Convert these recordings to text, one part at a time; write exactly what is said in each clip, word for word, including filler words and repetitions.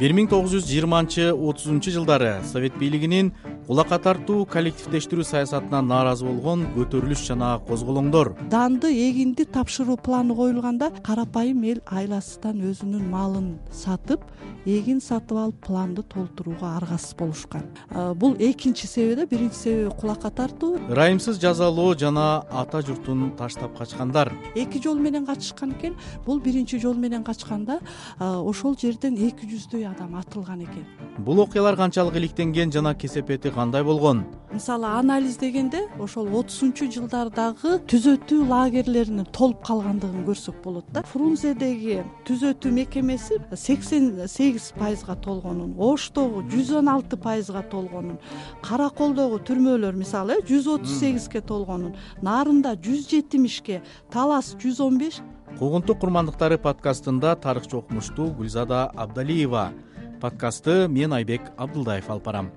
бир миң тогуз жүз жыйырманчы отузунчу жылдары Совет бийлигинин кулакка тартуу коллективдештирүү саясатынан нааразы болгон көтөрүлүш жана козголоңдор. Данды, эгинди тапшыруу планы коюлганда карапайым эл айласыздан өзүнүн малын сатып, эгин сатып алып планды толтурууга аргасыз болушкан. Бул экинчи себеби да, биринчи себеби кулакка тартуу. Ырайымсыз жазалоо жана ата журтун таштап качкандар. Эки жол менен качышкан экен. Бул биринчи жол менен качканда ошол жерден эки жүздөй адам атылган экен. Бул окуялар канчалык иликтенген жана кесепети кандай болгон? Мисалы анализдегенде ошол отузунчу жылдардагы түзөтүү лагерлеринин толуп калгандыгын көрсөк болот да. Фрунзедеги түзөтүү мекемеси сексен сегиз пайызга толгонун, Оштогу жүз он алты пайызга толгонун, Караколдогу түрмөлөр мисалы жүз отуз сегизге толгонун, Нарында жүз жетимишке, Талас жүз он беш. Куугунтук курмандыктары подкастында тарыхчы окумуштуу Гүлзада Абдалиева. Подкастты мен Айбек Абдылдаев алып барам.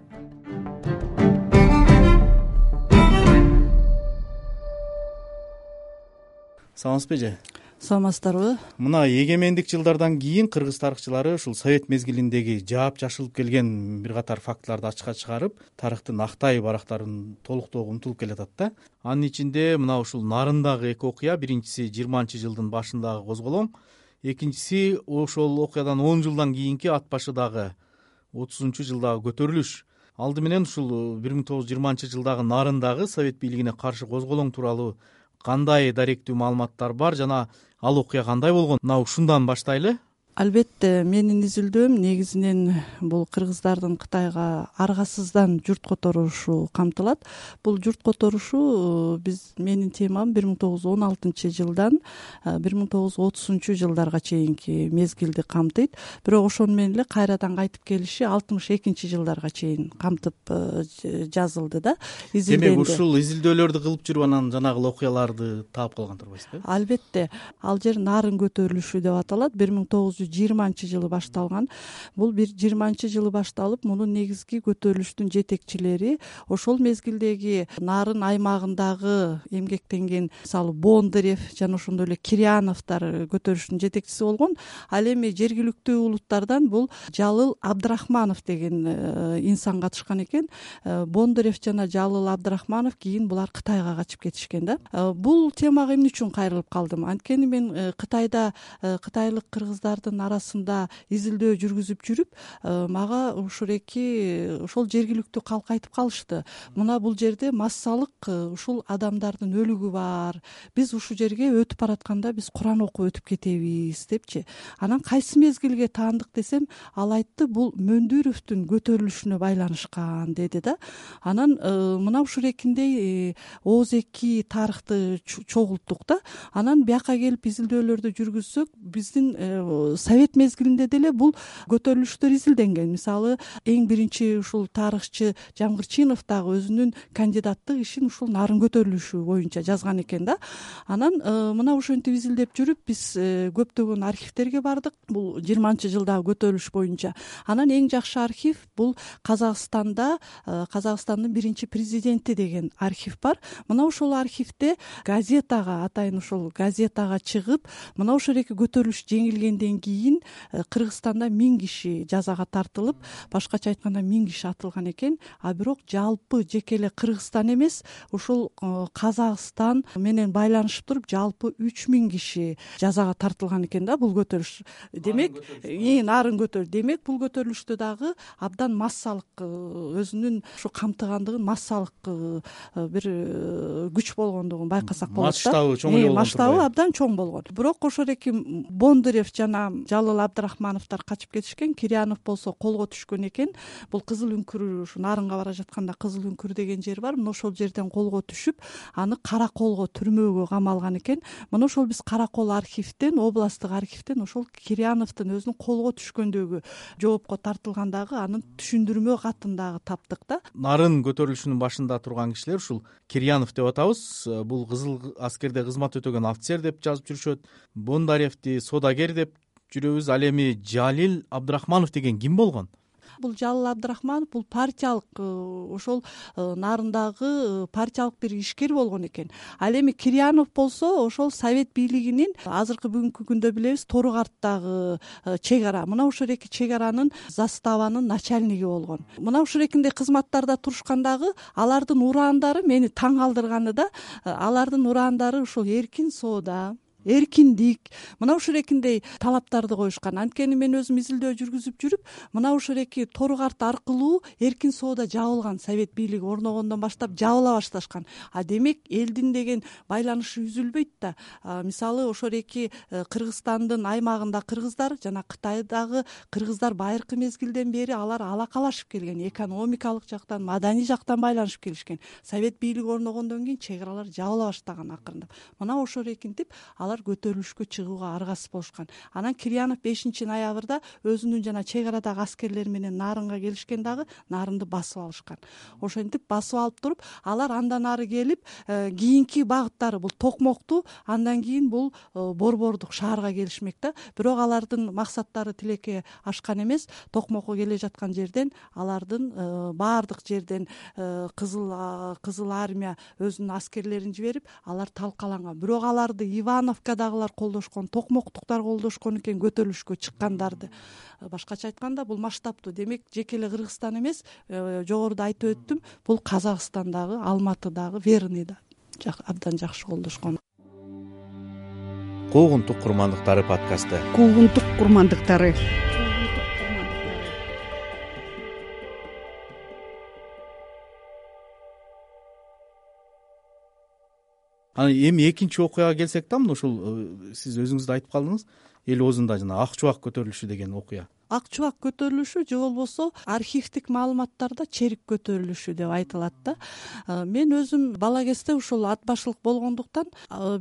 Саламатсызбы эже? Саламатсыздарбы? Мына эгемендик жылдардан кийин кыргыз тарыхчылары ушул совет мезгилиндеги жаап жашылып келген бир катар фактыларды ачыкка чыгарып, тарыхтын актай барактарын толуктоого умтулуп келатат да. Анын ичинде мына ушул Нарындагы эки окуя, биринчиси жыйырманчы жылдын башындагы козголоң, экинчиси ошол окуядан он жылдан кийинки ат башыдагы отузунчу жылдагы көтөрүлүш. Алды менен ушул бир миң тогуз жүз жыйырманчы жылдагы Нарындагы совет бийлигине каршы козголоң тууралуу кандай даректүү маалыматтар бар жана ал окуя кандай болгон? Мына ушундан баштайлы. Албетте, менин изилдөөм негизинен бул кыргыздардын Кытайга аргасыздан журт которушу камтылат. Бул журт которушу биз менин темам бир миң тогуз жүз он алтынчы жылдан бир миң тогуз жүз отузунчу жылдарга чейинки мезгилди камтыйт. Бирок ошону менен эле кайрадан кайтып келиши алтымыш экинчи жылдарга чейин камтып жазылды да, изилденди. Демек ушул изилдөөлөрдү кылып жүрүп анан жанагы окуяларды таап калган турбайсызбы? Албетте, ал жер Нарын көтөрүлүшү деп аталат. бир миң тогуз жүз жыйырманчы жылы башталган. Бул бир жыйырманчы жылы башталып, мунун негизги көтөрүлүштүн жетекчилери ошол мезгилдеги Нарын аймагындагы эмгектенген, мисалы, Бондарев жана ошондой эле Кирьяновдор көтөрүлүштүн жетекчиси болгон. Ал эми жергиликтүү улуттардан бул Жалыл Абдрахманов деген инсан катышкан экен. Бондарев жана Жалыл Абдрахманов кийин булар Кытайга качып кетишкен да. Бул темага эмне үчүн кайрылып калдым? Анткени мен Кытайда кытайлык кыргыздардын арасында изилдөө жүргүзүп жүрүп, мага ушул эки ошол жергиликтүү калк айтып калышты. Мына бул жерде массалык ушул адамдардын өлүгү бар. Биз ушул жерге өтүп баратканда биз Куран окуп өтүп кетебиз депчи. Анан кайсы мезгилге таандык десем, ал айтты, бул Мөндүровдун көтөрүлүшүнө байланышкан деди да. Анан мына ушул экиндей ооз эки тарыхты чогулттук да. Анан бияка келип изилдөөлөрдү жүргүзсөк, биздин совет мезгилинде деле бул көтөрүлүштөр изилденген. Мисалы, эң биринчи ушул тарыхчы Жамгырчинов дагы өзүнүн кандидаттык ишин ушул Нарын көтөрүлүшү боюнча жазган экен да. Анан мына ошентип изилдеп жүрүп биз көптөгөн архивтерге бардык бул жыйырманчы жылдагы көтөрүлүш боюнча. Анан эң жакшы архив бул Казакстанда Казакстандын биринчи президенти деген архив бар. Мына ошол архивде газетага, атайын ошол газетага чыгып, мына ошол эки көтөрүлүш жеңилгенден кийин Кыргызстанда миң киши жазага тартылып, башкача айтканда миң киши атылган экен. А бирок жалпы жеке эле Кыргызстан эмес, ушул Казакстан менен байланышып туруп жалпы үч миң киши жазага тартылган экен да бул көтөрүлүш. Демек, Нарын көтөрүлүш. Демек, бул көтөрүлүштө дагы абдан массалык өзүнүн ушу камтыгандыгын, массалык бир күч болгондугун байкасак болот да. Масштабы чоң болгон. Масштабы абдан чоң болгон. Бирок ошол эки Бондарев жана Жалыл Абдрахмановдор качып кетишкен. Кирьянов болсо колго түшкөн экен. Бул Кызыл үңкүр, ушу Нарынга бара жатканда Кызыл үңкүр деген жер бар. Мына ошол жерден колго түшүп, аны Караколго түрмөгө камалган экен. Мына ошол биз Каракол архивден, областтык архивден ошол Кирьяновдун өзүнүн колго түшкөндөгү жоопко тартылгандагы анын түшүндүрмө катын дагы таптык да. Нарын көтөрүлүшүнүн башында турган кишилер ушул Кирьянов деп атабыз. Бул кызыл аскерде кызмат өтөгөн офицер деп жазып жүрүшөт. Бондаревди содагер деп жүрөбүз. Ал эми Жалил Абдрахманов деген ким болгон? бул Жалыл Абдрахманов бул партиялык ошол нарындагы партиялык бир ишкер болгон экен. Ал эми Кирьянов болсо ошол совет бийлигинин азыркы бүгүнкү күндө билебиз Тору карттагы чек ара, мына ушул эки чек аранын заставанын начальниги болгон. Мына ушул экиндей кызматтарда турушкандагы алардын ураандары мени таң калтырганы да, алардын ураандары ушул эркин соода, эркиндик, мына ушул экиндей талаптарды коюшкан. Анткени мен өзүм изилдөө жүргүзүп жүрүп, мына ушул эки Тору карт аркылуу эркин соода жабылган, совет бийлиги орногондон баштап жабыла башташкан. А демек элдин деген байланышы үзүлбөйт да. Мисалы ошол эки Кыргызстандын аймагында кыргыздар жана Кытайдагы кыргыздар байыркы мезгилден бери алар алакалашып келген, экономикалык жактан, маданий жактан байланышып келишкен. Совет бийлиги орногондон кийин чек аралар жабыла баштаган акырындап. Мына ошол эркинтип алар көтөрүлүшкө чыгууга аргасыз болушкан. Анан Кирьянов бешинчи ноябрда өзүнүн жана чек арадагы аскерлери менен Нарынга келишкен дагы Нарынды басып алышкан. Ошентип басып алып туруп, алар андан ары келип кийинки багыттары бул Токмокту, андан кийин бул Борбордук шаарга келишмек да. Бирок алардын максаттары тилекке ашкан эмес. Токмокко келе жаткан жерден алардын баардык жерден кызыл кызыл армия өзүнүн аскерлерин жиберип, алар талкаланган. Бирок аларды Иванов дагылар колдошкон, Токмоктуктар колдошкон экен көтөрүлүшкө чыккандарды. Башкача айтканда бул масштабтуу. Демек жеке эле Кыргызстан эмес, жогоруда айтып өттүм, бул Казакстандагы, Алматыдагы, Верныйда абдан жакшы колдошкон. Куугунтук курмандыктары подкасты. Куугунтук курмандыктары. Анан эми экинчи окуяга келсек да, мына ушул сиз өзүңүз да айтып калдыңыз, эл оозунда жана Ак чубак көтөрүлүшү деген окуя. Ак чубак көтөрүлүшү же болбосо архивдик маалыматтарда черик көтөрүлүшү деп айтылат да. Мен өзүм бала кезде ушул ат башылык болгондуктан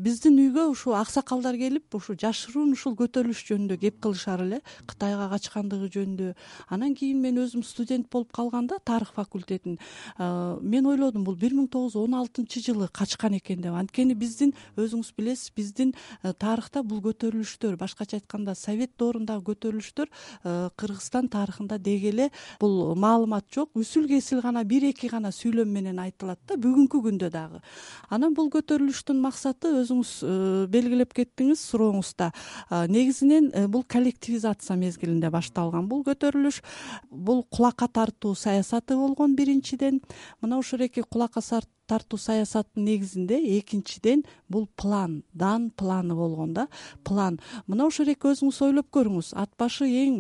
биздин үйгө ушул аксакалдар келип ушу жашыруун ушул көтөрүлүш жөнүндө кеп кылышар эле, Кытайга качкандыгы жөнүндө. Анан кийин мен өзүм студент болуп калганда тарых факультетин мен ойлодум, бул бир миң тогуз жүз он алтынчы жылы качкан экен деп. Анткени биздин өзүңүз билесиз, биздин тарыхта бул көтөрүлүштөр, башкача айтканда совет доорундагы көтөрүлүштөр Кыргызстан тарыхында деги эле бул маалымат жок, үсүл кесил гана бир эки гана сүйлөм менен айтылат да, бүгүнкү күндө дагы. Анан бул көтөрүлүштүн максаты өзүңүз белгилеп кеттиңиз сурооңузда. Негизинен бул коллективизация мезгилинде башталган бул көтөрүлүш. Бул кулакка тартуу саясаты болгон биринчиден. Мына ушул эки кулакка тартуу саясаттын негизинде экинчиден бул план, дан планы болгон да. План. Мына ушул эки өзүңүз ойлоп көрүңүз. Ат башы эң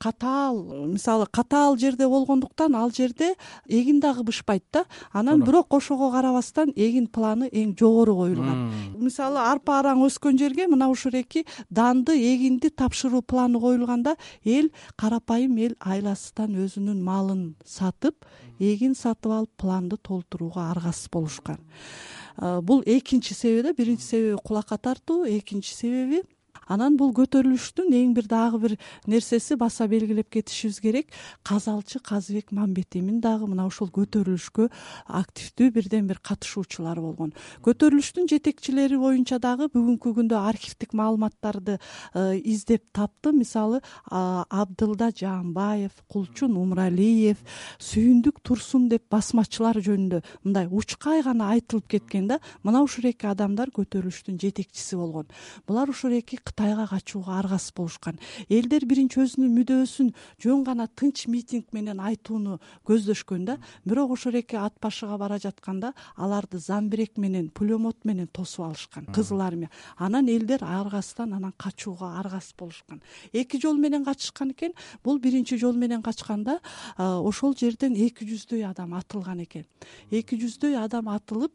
катаал, мисалы катаал жерде болгондуктан ал жерде эгин дагы бышпайт да. Анан бирок ошого карабастан эгин планы эң жогору коюлган. Мисалы арпа араң өскөн жерге мына ушул эки данды, эгинди тапшыруу планы коюлганда, эл карапайым эл айласынан өзүнүн малын сатып, эгин сатып алып планды толтурууга аргасыз болушкан. Бул экинчи себеби да, биринчи себеби кулакка тартуу, экинчи себеби анан бул көтөрүлүштүн эң бир дагы бир нерсеси баса белгилеп кетишибиз керек. Казалчы Казыбек Мамбетемин дагы мына ушул көтөрүлүшкө активдүү бирден бир катышуучулар болгон. Көтөрүлүштүн жетекчилери боюнча дагы бүгүнкү күндө архивдик маалыматтарды издеп таптым. Мисалы Абдылда Жаанбаев, Кулчун Умралиев, Сүйүндүк Турсун деп басмачылар жөнүндө мындай учкай гана айтылып кеткен да. Мына ушул эки адамдар көтөрүлүштүн жетекчиси болгон. Булар ушул эки Кытайга качууга аргасыз болушкан. Элдер биринчи өзүнүн мүдөөсүн жөн гана тынч митинг менен айтууну көздөшкөн да. Бирок ошол эки ат башыга бара жатканда аларды замбирек менен, пулемот менен тосуп алышкан, кызыл армия. Анан элдер аргасыздан анан качууга аргасыз болушкан. Эки жол менен качышкан экен. Бул биринчи жол менен качканда ошол жерден эки жүздөй адам атылган экен. эки жүздөй адам атылып,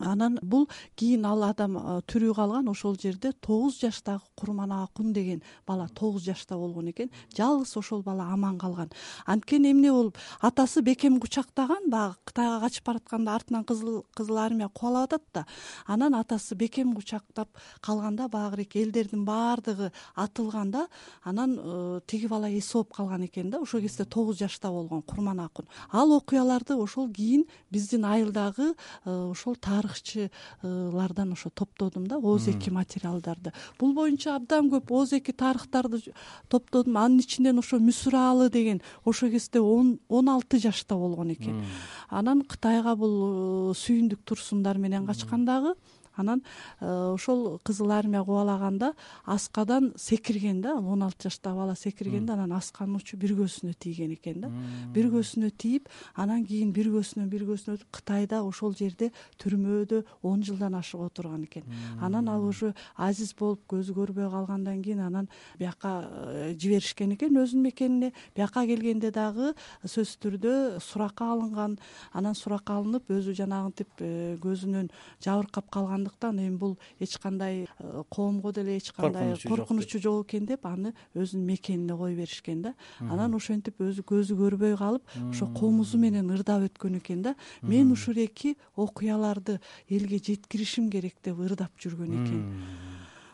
анан бул кийин ал адам тирүү калган. Ошол жерде тогуз жаштагы Курманакун деген бала тогуз жашта болгон экен. Жалгыз ошол бала аман калган. Анткени эмне болуп, атасы бекем кучактаган, баягы Кытайга качып баратканда артынан кызыл кызыл армия кубалап атат да. Анан атасы бекем кучактап калганда баягы элдердин баардыгы атылганда, анан тиги бала эс алып калган экен да. Ошол кезде тогуз жашта болгон Курманакун. Ал окуяларды ошол кийин биздин айылдагы ошол тарых тарыхчылардан ошо топтодум да ооз эки материалдарды. Бул боюнча абдан көп ооз эки тарыхтарды топтодум. Анын ичинен ошо Мүсүралы деген ошол кезде он алты жашта болгон экен. Анан Кытайга бул сүйүндүк турсундар менен качкан дагы. Анан ошол Кызыл армия кубалаганда аскадан секирген да, он алты жаштагы бала секиргенде анан асканын учу бир көзүнө тийген экен да. Бир көзүнө тийип, анан кийин бир көзүнөн бир көзүнө өтүп Кытайда ошол жерде түрмөдө он жылдан ашык отурган экен. Анан ал уже азиз болуп көзү көрбөй калгандан кийин анан бияка жиберишкен экен өзүнүн мекенине. Бияка келгенде дагы сөзсүз түрдө суракка алынган. Анан суракка алынып өзү жанагынтип көзүнөн жабыркап калган. Эми бул эч кандай коомго деле эч кандай коркунучу жок экен деп аны өзүнүн мекенине кое беришкен да. Анан ошентип өзү көзү көрбөй калып, ошо комузу менен ырдап өткөн экен да. Мен ушул эки окуяларды элге жеткиришим керек деп ырдап жүргөн экен.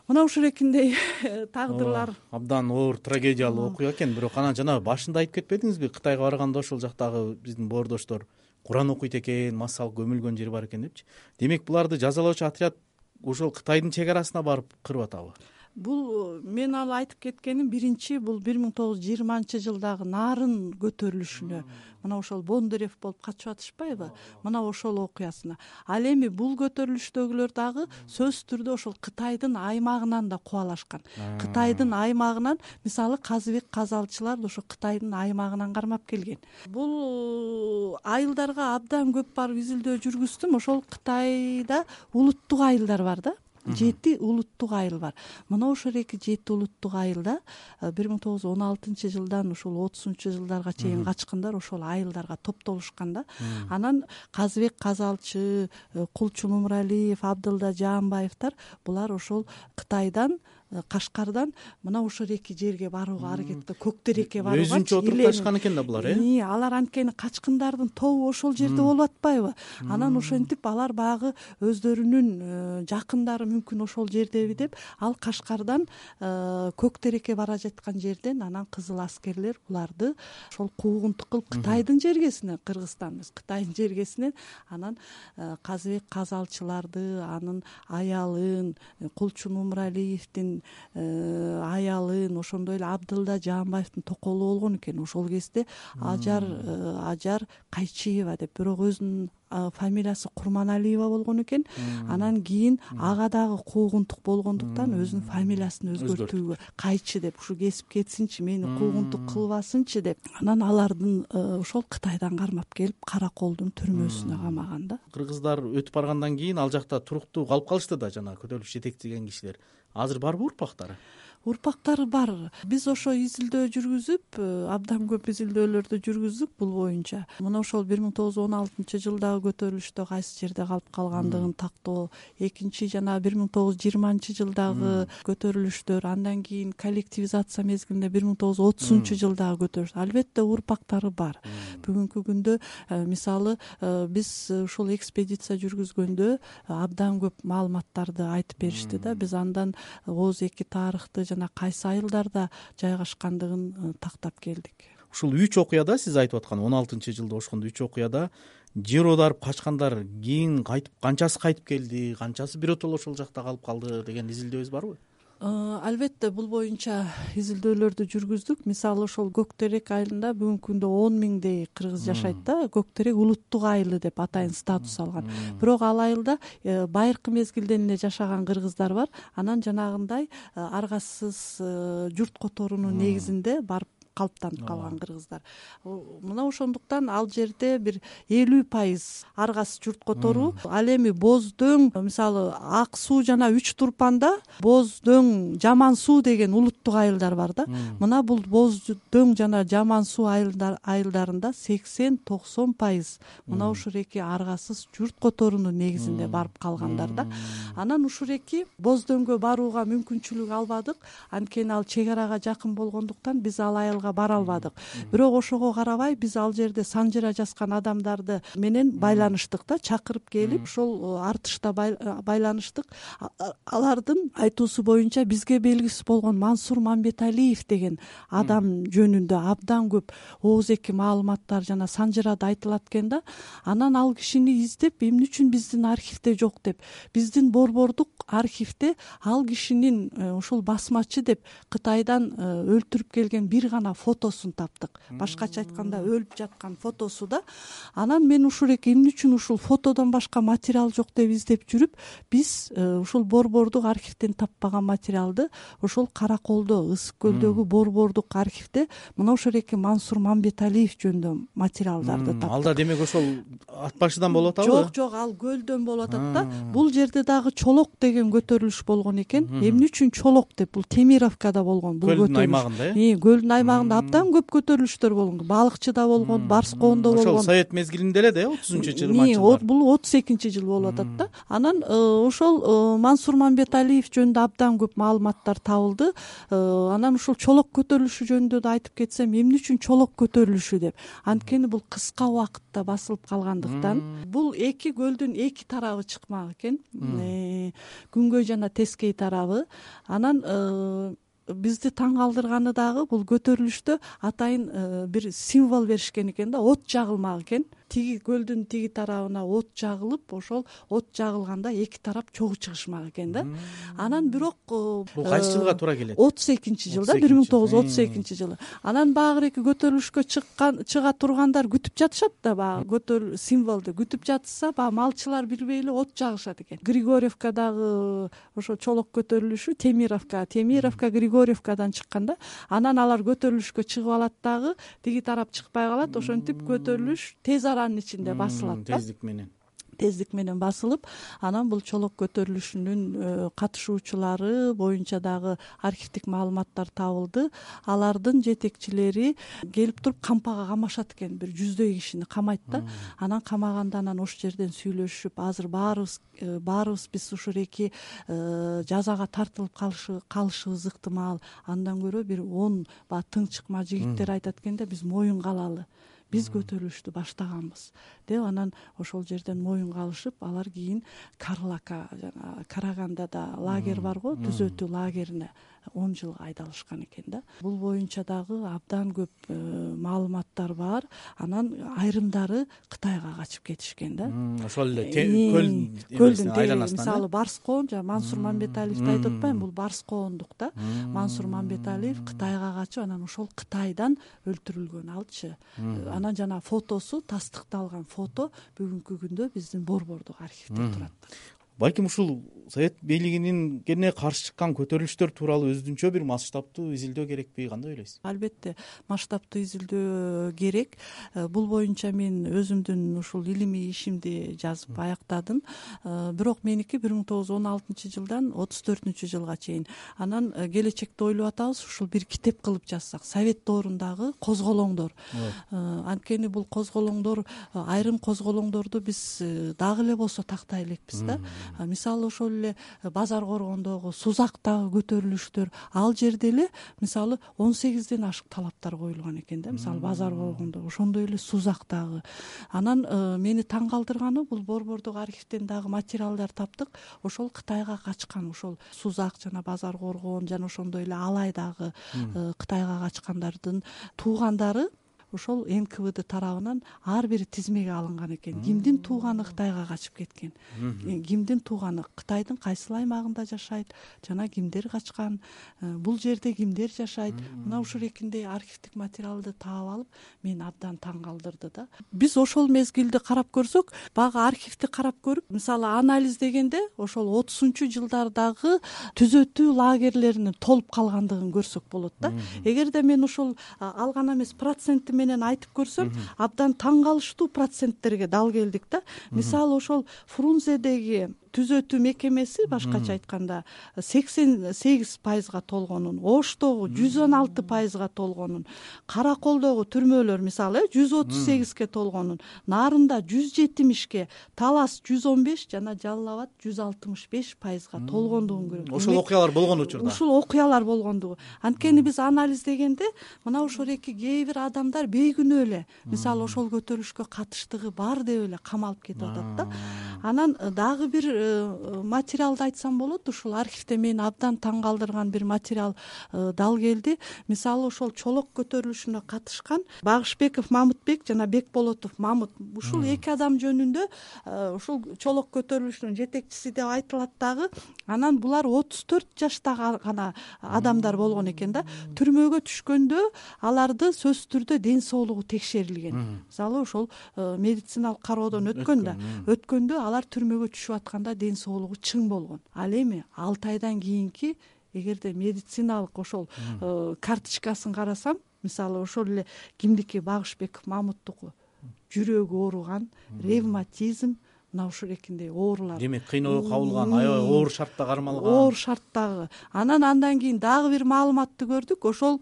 Мына ушул экиндей тагдырлар абдан оор трагедиялуу окуя экен. Бирок анан жана башында айтып кетпедиңизби, Кытайга барганда ошол жактагы биздин боордоштор Куран окуйт экен, массал көмүлгөн жери бар экен депчи. Демек буларды жазалоочу отряд ошол Кытайдын чек арасына барып кырып атабы? Бул мен ал айтып кеткеним биринчи бул бир миң тогуз жүз жыйырманчы жылдагы Нарын көтөрүлүшүнө мына ошол Бондарев болуп качып атышпайбы? Мына ошол окуясына. Ал эми бул көтөрүлүштөгүлөр дагы сөзсүз түрдө ошол Кытайдын аймагынан да кубалашкан. Кытайдын аймагынан, мисалы Казыбек казалчылар ошо Кытайдын аймагынан кармап келген. Бул айылдарга абдан көп барып изилдөө жүргүздүм. Ошол Кытайда улуттук айылдар бар да. Жети улуттук айыл бар. Мына ошол эки жети улуттук айылда бир миң тогуз жүз он алтынчы жылдан ушул отузунчу жылдарга чейин качкындар ошол айылдарга топтолушкан да. Анан Казыбек казалчы, Кулчу Нумралиев, Абдылда Жаанбаевдер булар ошол Кытайдан, Кашкардан мына ошол эки жерге барууга аракетте, Көктерекке барууга өзүнчө отуруп качкан экен да булар, э? Алар анткени качкындардын тобу ошол жерде болуп атпайбы? Анан ошентип алар багы өздөрүнүн жакындары мүмкүн ошол жердеби деп, ал Кашкардан Көктерекке бара жаткан жерден анан кызыл аскерлер буларды ошол куугунтук кылып Кытайдын жергесине, Кыргызстан эмес, Кытайдын жергесинен анан Казыбек казалчыларды, анын аялын, Кулчу Нумралиевдин аялын, ошондой эле Абдылда Жаанбаевдин токолу болгон экен. Ошол кезде Ажар Ажар Кайчиева деп, бирок өзүнүн фамилиясы Курманалиева болгон экен. Анан кийин ага дагы куугунтук болгондуктан өзүнүн фамилиясын өзгөртүүгө, Кайчы деп, ушу кесип кетсинчи, мени куугунтук кылбасынчы деп, анан алардын ошол Кытайдан кармап келип Караколдун түрмөсүнө камаган да. Кыргыздар өтүп баргандан кийин ал жакта туруктуу калып калышты да, жана көтөрүлүш жетектеген кишилер. Азыр барбы урпактары? Урпактары бар. Биз ошо изилдөө жүргүзүп, абдан көп изилдөөлөрдү жүргүздүк бул боюнча. Мына ошол бир миң тогуз жүз он алтынчы жылдагы көтөрүлүштө кайсы жерде калып калгандыгын тактоо, экинчи жана бир миң тогуз жүз жыйырманчы жылдагы көтөрүлүштөр, андан кийин коллективизация мезгилинде бир миң тогуз жүз отузунчу жылдагы көтөрүлүш. Албетте урпактары бар. Бүгүнкү күндө мисалы биз ушул экспедиция жүргүзгөндө абдан көп маалыматтарды айтып беришти да. Биз андан ооз эки тарыхты жана кайсы айылдарда жайгашкандыгын тактап келдик. Ушул үч окуяда, сиз айтып аткан он алтынчы жылда ошондо үч окуяда жер оодарып качкандар кийин кайтып, канчасы кайтып келди, канчасы биротоло ошол жакта калып калды деген изилдөөбүз барбы? Албетте бул боюнча изилдөөлөрдү жүргүздүк. Мисалы ошол Көктерек айылында бүгүнкү күндө он миңдей кыргыз жашайт да. Көктерек улуттук айылы деп атайын статус алган. Бирок ал айылда байыркы мезгилден эле жашаган кыргыздар бар. Анан жанагындай аргасыз журт которуунун негизинде барып калыптанып калган кыргыздар. Мына ошондуктан ал жерде бир элүү пайыз аргасыз журт которуу. Ал эми Боз дөң, мисалы Ак суу жана Үч Турпанда Боз дөң, Жаман суу деген улуттук айылдар бар да. Мына бул Боз дөң жана Жаман суу айылдарында сексен токсон пайыз мына ушул эки аргасыз журт которуунун негизинде барып калгандар да. Анан ушул эки Боз дөңгө барууга мүмкүнчүлүк албадык. Анткени ал чек арага жакын болгондуктан биз ал айылга материалга бара албадык. Бирок ошого карабай биз ал жерде санжыра жазган адамдарды менен байланыштык да, чакырып келип ошол артышта байланыштык. Алардын айтуусу боюнча бизге белгисиз болгон Мансур Мамбеталиев деген адам жөнүндө абдан көп ооз-эки маалыматтар жана санжырада айтылат экен да. Анан ал кишини издеп, эмне үчүн биздин архивде жок деп, биздин борбордук архивде ал кишинин ушул басмачы деп Кытайдан өлтүрүп келген бир гана фотосун таптык. Башкача айтканда өлүп жаткан фотосу да. Анан мен ушул эки эмне үчүн ушул фотодон башка материал жок деп издеп жүрүп, биз ушул борбордук архивден таппаган материалды ошол Караколдо, Ысык көлдөгү борбордук архивде мына ошол эки Мансур Мамбеталиев жөнүндө материалдарды таптык. Ал да демек ошол ат башыдан болуп атабы? Жок, жок, ал көлдөн болуп атат да. Бул жерде дагы Чолок деген көтөрүлүш болгон экен. Эмне үчүн Чолок деп? Бул Темировкада болгон бул көтөрүлүш. Көлдүн аймагында, э? Көлдүн аймагында абдан көп көтөрүлүштөр болгон. Балыкчыда болгон, Барскоондо болгон. Ошол Совет мезгилинде эле да, отузунчу жылы. Бул отуз экинчи жыл болуп атат да. Анан ошол Мансур Мамбеталиев жөнүндө абдан көп маалыматтар табылды. Анан ушул Чолок көтөрүлүшү жөнүндө да айтып кетсем, эмне үчүн Чолок көтөрүлүшү деп? Анткени бул кыска убакытта басылып калгандыктан, бул эки көлдүн эки тарабы чыкмак экен. Күнгөй жана Тескей тарабы. Анан бизди таң калтырганы дагы бул көтөрүлүштө атайын бир символ беришкен экен да, от жагылмак экен. Тиги көлдүн тиги тарабына от жагылып, ошол от жагылганда эки тарап чогуу чыгышмак экен да. Анан бирок бул кайсы жылга туура келет? отуз экинчи жылда, бир миң тогуз жүз отуз экинчи жылы. Анан багы эки көтөрүлүшкө чыккан, чыга тургандар күтүп жатышат да, багы көтөрүл символду күтүп жатса, багы малчылар билбей эле от жагышат экен. Григорьевкадагы ошо Чолок көтөрүлүшү Темировка, Темировка Григорьевкадан чыкканда, анан алар көтөрүлүшкө чыгып алат дагы, тиги тарап чыкпай калат. Ошентип көтөрүлүш тез аранын ичинде басылат да. Тездик менен. Тездик менен басылып, анан бул Чолок көтөрүлүшүнүн катышуучулары боюнча дагы архивдик маалыматтар табылды. Алардын жетекчилери келип туруп кампага камашат экен, бир жүздөй кишини камайт да. Анан камаганда анан ош жерден сүйлөшүп, азыр баарыбыз баарыбыз биз ушул эки жазага тартылып калышыбыз ыктымал. Андан көрө бир он ба тың чыкма жигиттер айтат экен да, биз моюнга алалы. Биз көтөрүлүштү баштаганбыз деп, анан ошол жерден моюнга алышып, алар кийин Карлака жана Карагандада лагерь барго, түзөтүү лагерине он жылга айдалышкан экен да. Бул боюнча дагы абдан көп маалыматтар бар. Анан айрымдары Кытайга качып кетишкен да. Ошол эле көлдүн айланасынан. Мисалы Барскоон, жана Мансур Мамбеталиевди айтып атпайм, бул Барскоондук да. Мансур Мамбеталиев Кытайга качып, анан ошол Кытайдан өлтүрүлгөн алчы. Анан жана фотосу, тастыкталган фото бүгүнкү күндө биздин борбордук архивде турат. Балким ушул Совет бийлигинин кене каршы чыккан көтөрүлүштөр тууралуу өзүнчө бир масштабтуу изилдөө керекпи, кандай ойлойсуз? Албетте, масштабтуу изилдөө керек. Бул боюнча мен өзүмдүн ушул илимий ишимди жазып аяктадым. Бирок меники бир миң тогуз жүз он алтынчы жылдан отуз төртүнчү жылга чейин. Анан келечекте ойлоп атабыз, ушул бир китеп кылып жазсак, Совет доорундагы козголоңдор. Анткени бул козголоңдор, айрым козголоңдорду биз дагы эле болсо тактай элекпиз да. Мисалы ошол эле Базар Коргондогу, Сузактагы көтөрүлүштөр, ал жерде эле мисалы он сегизден ашык талаптар коюлган экен да. Мисалы Базар Коргондогу, ошондой эле Сузактагы. Анан мени таң калтырганы, бул борбордук архивден дагы материалдар таптык. Ошол Кытайга качкан, ошол Сузак жана Базар Коргон жана ошондой эле Алайдагы Кытайга качкандардын туугандары ошол эн ка вэ дэ тарабынан ар бир тизмеге алынган экен. Кимдин тууганы Кытайга качып кеткен, кимдин тууганы Кытайдын кайсыл аймагында жашайт, жана кимдер качкан, бул жерде кимдер жашайт. Мына ушул экиндей архивдик материалды таап алып, мен абдан таң калтырды да. Биз ошол мезгилди карап көрсөк, багы архивди карап көрүп, мисалы анализ дегенде ошол отузунчу жылдардагы түзөтүү лагерлеринин толуп калгандыгын көрсөк болот да. Эгерде мен ошол алган эмес проценти менен айтып көрсөм, абдан таң калыштуу проценттерге дал келдик да. Мисалы ошол Фрунзедеги түзөтүү мекемеси башкача айтканда сексен сегиз пайызга толгонун, Оштогу жүз он алты пайызга толгонун, Караколдогу түрмөлөр мисалы жүз отуз сегизге толгонун, Нарында жүз жетимишке, Талас жүз он беш жана Жалал абад жүз алтымыш беш пайызга толгондугун көрөт. Ошол окуялар болгон учурда. Ушул окуялар болгондугу. Анткени биз анализдегенде мына ошореки кээ бир адамдар бейкүнөө эле мисалы ошол көтөрүлүшкө катыштыгы бар деп эле камалып кетип атат да. Анан дагы бир материалды айтсам болот. Ушул архивде мени абдан таң калтырган бир материал дал келди. Мисалы ошол Чолок көтөрүлүшүнө катышкан Багышбеков Мамытбек жана Бекболотов Мамыт ушул эки адам жөнүндө ушул Чолок көтөрүлүшүнүн жетекчиси деп айтылат дагы. Анан булар отуз төрт жашта гана адамдар болгон экен да. Түрмөгө түшкөндө аларды сөзсүз түрдө ден соолугу текшерилген. Мисалы ошол медициналык кароодон өткөн да. Өткөндө алар түрмөгө түшүп атканда ден соолугу чың болгон. Ал эми алты айдан кийинки эгерде медициналык ошол карточкасын карасам, мисалы ошол эле кимдики Багышбеков Мамыттуку жүрөгү ооруган, ревматизм, мына ушурекиндей оорулар. Демек кыйноого кабылган, аябай оор шартта кармалган. Оор шарттагы. Анан андан кийин дагы бир маалыматты көрдүк. Ошол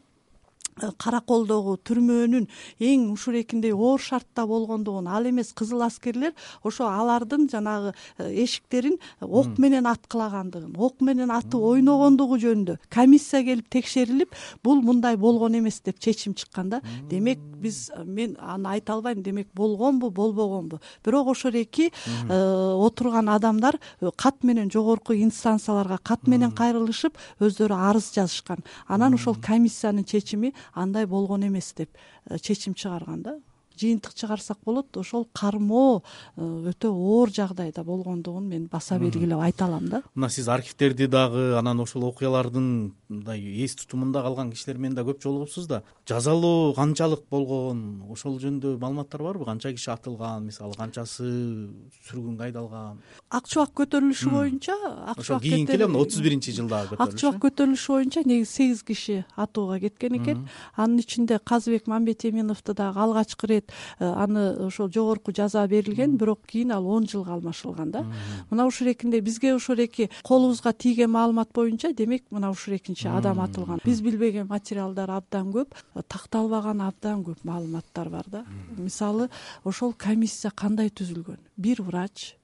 Караколдогу түрмөнүн эң ушурекиндей оор шартта болгондугун, ал эмес кызыл аскерлер ошо алардын жанагы эшиктерин ок менен аткылагандыгын, ок менен атып ойногондугу жөнүндө комиссия келип текшерилип, бул мындай болгон эмес деп чечим чыккан да. Демек биз мен аны айта албайм, демек болгонбу, болбогонбу. Бирок ошореки отурган адамдар кат менен жогорку инстанцияларга кат менен кайрылышып, өздөрү арыз жазышкан. Анан ошол комиссиянын чечими андай болгон эмес деп чечим чыгарган да. Жыйынтык чыгарсак болот, ошол кармоо өтө оор жагдайда болгондугун мен баса белгилеп айта алам да. Мына сиз архивтерди дагы, анан ошол окуялардын мындай эс тутумунда калган кишилер менен да көп жолугупсуз да. Жазалоо канчалык болгон, ошол жөнүндө маалыматтар барбы? Канча киши атылган, мисалы канчасы сүргүнгө айдалган? Ак чубак көтөрүлүшү боюнча, ошол кийинки эле отуз биринчи жылдагы көтөрүлүш. Ак чубак көтөрүлүшү боюнча негизи сегиз киши атууга кеткен экен. Анын ичинде Казыбек Мамбетеминовду дагы алгачкы ирет аны ошол жогорку жаза берилген, бирок кийин ал он жылга алмашылган да. Мына ушурекинде бизге ошореки колубузга тийген маалымат боюнча, демек мына ушурекинчи адам атылган. Биз билбеген материалдар абдан көп, такталбаган абдан көп маалыматтар бар да. Мисалы ошол комиссия кандай түзүлгөн? Бир врач,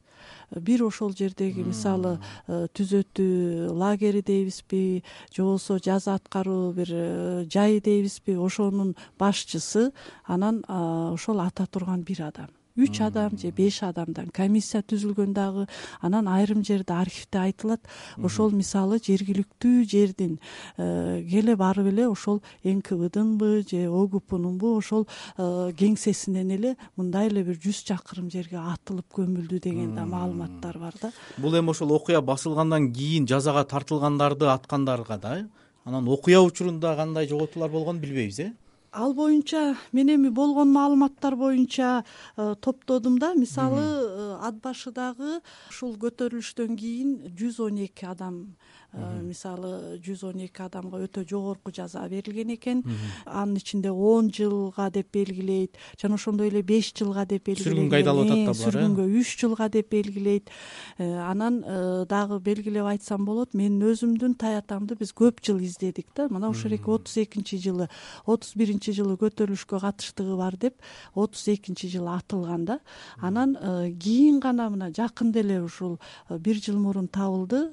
бир ошол жердеги мисалы түзөтүү лагери дейбизби, же болбосо жаза аткаруу бир жай дейбизби, ошонун башчысы, анан ошол ата турган бир адам. Үч адам же беш адамдан комиссия түзүлгөн дагы. Анан айрым жерде архивде айтылат, ошол мисалы жергиликтүү жердин келе барып эле ошол эн ка бдынбы же о гэ пнунбу ошол кеңсесинен эле мындай эле бир жүз чакырым жерге атылып көмүлдү деген да маалыматтар бар да. Бул эми ошол окуя басылгандан кийин жазага тартылгандарды аткандарга да, анан окуя учурунда кандай жоготуулар болгонун билбейбиз, э? Ал боюнча мен эми болгон маалыматтар боюнча топтодум да. Мисалы ат башыдагы ушул көтөрүлүштөн кийин жүз он эки адам, мисалы жүз он эки адамга өтө жогорку жаза берилген экен. Анын ичинде он жылга деп белгилейт, жана ошондой эле беш жылга деп белгилейт. Сүргүнгө айдалып атат да булар. Сүргүнгө үч жылга деп белгилейт. Анан дагы белгилеп айтсам болот, менин өзүмдүн таятамды биз көп жыл издедик да. Мына ошореки отуз экинчи жылы, отуз биринчи жылы көтөрүлүшкө катыштыгы бар деп отуз экинчи жылы атылган да. Анан кийин гана мына жакында эле ушул бир жыл мурун табылды.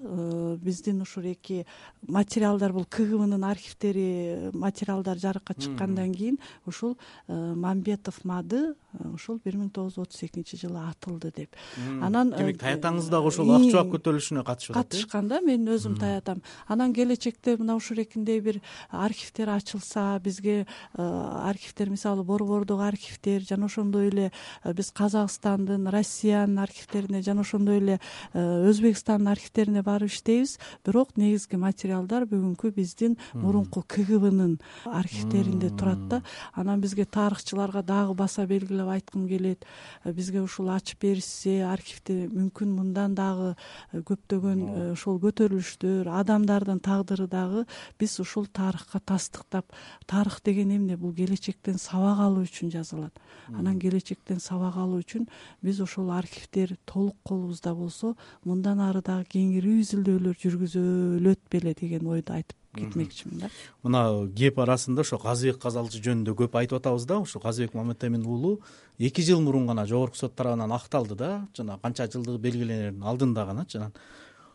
Биздин ушуреки материалдар, бул ка гэ бнын архивтери материалдар жарыкка чыккандан кийин ушул Мамбетов Мады ушул бир миң тогуз жүз отуз экинчи жылы атылды деп. Анан демек таятаңыз дагы ошол ак чубак көтөрүлүшүнө катышып атат. Катышкан да, менин өзүм таятам. Анан келечекте мына ушурекиндей бир архивтер ачылса, бизге архивтер, мисалы Борбордук архивтер, жана ошондой эле биз Казакстандын, Россиянын архивтерине, жана ошондой эле Өзбекстандын архивтерине барып иштейбиз. Бирок негизги материалдар бүгүнкү биздин мурунку ка гэ бнын архивтеринде турат да. Анан бизге тарыхчыларга дагы баса белгилеп кайталап айткым келет. Бизге ушул ачып беришсе архивде мүмкүн мындан дагы көптөгөн ошол көтөрүлүштөр, адамдардын тагдыры дагы биз ушул тарыхка тастыктап, тарых деген эмне? Бул келечектен сабак алуу үчүн жазылат. Анан келечектен сабак алуу үчүн биз ошол архивдер толук колубузда болсо, мындан ары дагы кеңири изилдөөлөр жүргүзөлөт беле деген ойду айтып кетмекчимин да. Мына кеп арасында ошо Казыбек Казалчы жөнүндө көп айтып атабыз да. Ошо Казыбек Маматемин уулу эки жыл мурун гана жогорку сот тарабынан акталды да, жана канча жылдыгы белгиленердин алдында гана. Жана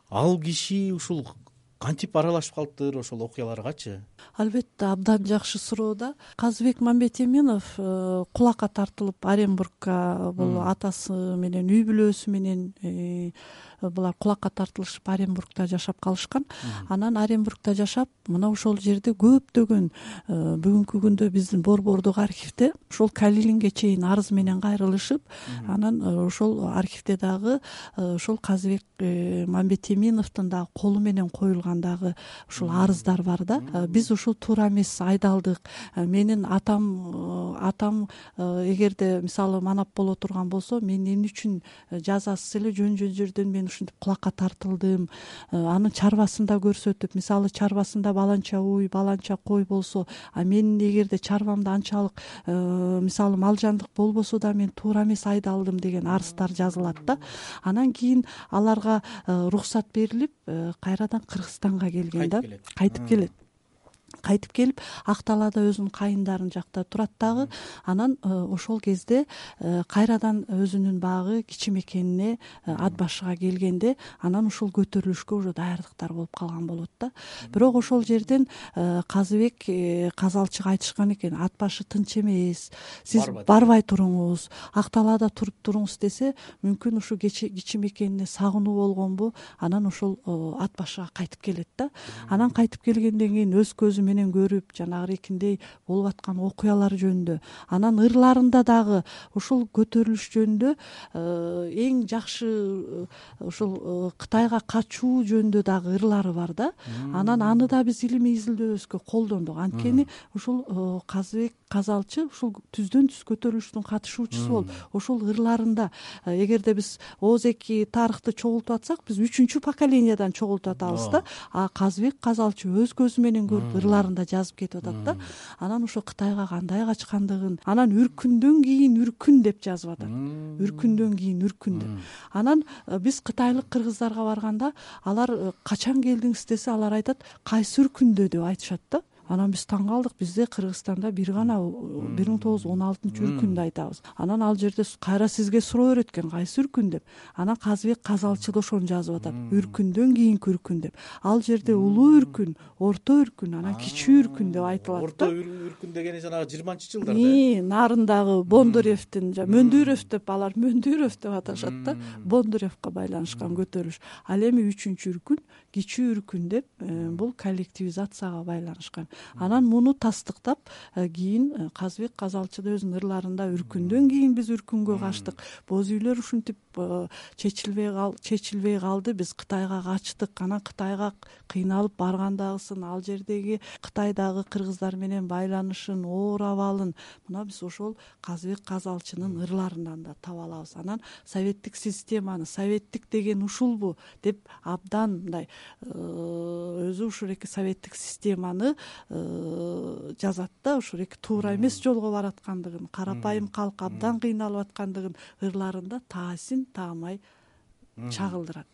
ал киши ушул кантип аралашып калыптыр ошол окуяларгачы? Албетте, абдан жакшы суроо да. Казыбек Маматеминов кулакка тартылып Оренбургка, бул атасы менен үй бүлөсү менен булар кулакка тартылышып Оренбургда жашап калышкан. Анан Оренбургда жашап, мына ошол жерде көптөгөн бүгүнкү күндө биздин Борбордук архивде ошол Калилинге чейин арыз менен кайрылышып, анан ошол архивде дагы ошол Казыбек Маматеминовдун дагы колу менен коюлган дагы ушул арыздар бар да. Биз ушул туура эмес айдалдык. Менин атам атам эгерде мисалы манап боло турган болсо, мен эмне үчүн жазасыз эле жөн-жөн жерден мен ушинтип кулакка тартылдым. Анын чарбасын да көрсөтүп, мисалы чарбасында баланча уй, баланча кой болсо, а мен эгерде чарбамда анчалык мисалы малжандык болбосо да мен туура эмес айдалдым деген арыздар жазылат да. Анан кийин аларга уруксат берилип, кайрадан Кыргызстанга келген да. Кайтып келет. Кайтып келип, Ак Талаада өзүнүн кайындарын жакта турат дагы. Анан ошол кезде кайрадан өзүнүн багы кичи мекенине ат башыга келгенде, анан ушул көтөрүлүшкө уже даярдыктар болуп калган болот да. Бирок ошол жерден Казыбек Казалчыга айтышкан экен, ат башы тынч эмес, сиз барбай туруңуз, Ак Талаада туруп туруңуз десе, мүмкүн ушу кичи мекенине сагынуу болгонбу, анан ошол ат башыга кайтып келет да. Анан кайтып келгенден кийин өз көзү менен көрүп, жанагы эркиндей болуп аткан окуялар жөнүндө, анан ырларында дагы ушул көтөрүлүш жөнүндө эң жакшы ушул Кытайга качуу жөнүндө дагы ырлары бар да. Анан аны да биз илимий изилдөөбүзгө колдондук. Анткени ушул Казыбек Казалчы ушул түздөн түз көтөрүлүштүн катышуучусу болуп, ошол ырларында эгерде биз ооз-эки тарыхты чогултуп атсак, биз үчүнчү поколениядан чогултуп атабыз да. А Казыбек Казалчы өз көзү менен көрүп ырларында жазып кетип атат да. Анан ошо Кытайга кандай качкандыгын, анан үркүндөн кийин үркүн деп жазып атат. Үркүндөн кийин үркүн деп. Анан биз кытайлык кыргыздарга барганда, алар качан келдиңиз десе, алар айтат, кайсы үркүндө деп айтышат да. Анан биз таң калдык, бизде Кыргызстанда бир гана бир миң тогуз жүз он алтынчы үркүндү айтабыз. Анан ал жерде кайра сизге суроо берет экен, кайсы үркүн деп. Анан Казыбек Казалчы да ошону жазып атат, үркүндөн кийинки үркүн деп. Ал жерде улуу үркүн, орто үркүн, анан кичи үркүн деп айтылат да. Орто үркүн дегени жанагы жыйырманчы жылдарда. И, нарындагы Бондуревдин, Мөндүров деп алар Мөндүров деп аташат да. Бондуревка байланышкан көтөрүлүш. Ал эми үчүнчү үркүн, кичи үркүн деп, бул коллективизацияга байланышкан. Анан муну тастыктап, кийин Казыбек Казалчы да өзүнүн ырларында үркүндөн кийин биз үркүнгө качтык. Боз үйлөр ушинтип чечилбей кал, чечилбей калды. Биз Кытайга качтык. Анан Кытайга кыйналып баргандагысын, ал жердеги Кытайдагы кыргыздар менен байланышын, оор абалын мына биз ошол Казыбек Казалчынын ырларынан да таба алабыз. Анан советтик системаны, советтик деген ушулбу деп абдан мындай өзү ушул эки советтик системаны жазат да, ушул эки туура эмес жолго бараткандыгын, карапайым калк абдан кыйналып аткандыгын ырларында таасин таамай чагылдырат.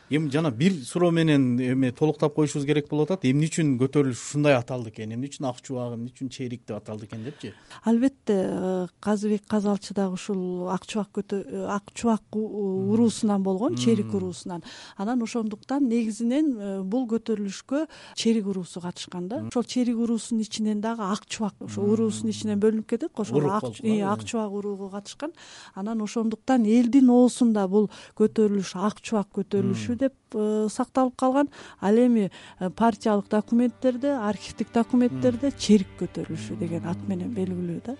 Эми жана бир суроо менен эме толуктап коюшубуз керек болуп атат. Эмне үчүн көтөрүлүш ушундай аталды экен? Эмне үчүн Ак чубак, эмне үчүн Черик деп аталды экен депчи? Албетте, Казыбек Казалчы дагы ушул Ак чубак Ак чубак уруусунан болгон, Черик уруусунан. Анан ошондуктан негизинен бул көтөрүлүшкө Черик уруусу катышкан да. Ошол Черик уруусунун ичинен дагы Ак чубак, ошол уруусунун ичинен бөлүнүп кетет. Ошол Ак чубак урууга катышкан. Анан ошондуктан элдин оосунда бул көтөрүлүш Ак чубак көтөрүлүшү деп сакталып калган. Ал эми партиялык документтерде, архивдик документтерде Черик көтөрүлүшү деген ат менен белгилүү да.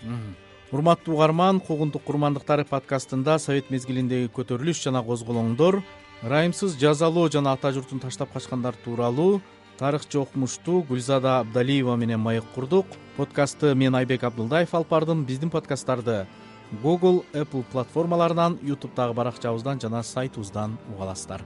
Урматтуу угарман, Куугунтук курмандыктары подкастында совет мезгилиндеги көтөрүлүш жана козголоңдор, ырайымсыз жазалоо жана ата журтун таштап качкандар тууралуу тарыхчы окумуштуу Гүлзада Абдалиева менен маек курдук. Подкастты мен Айбек Абдылдаев алып бардым. Биздин подкасттарды Google, Apple платформаларынан, YouTube'дагы баракчабыздан жана сайтыбыздан уга аласыздар.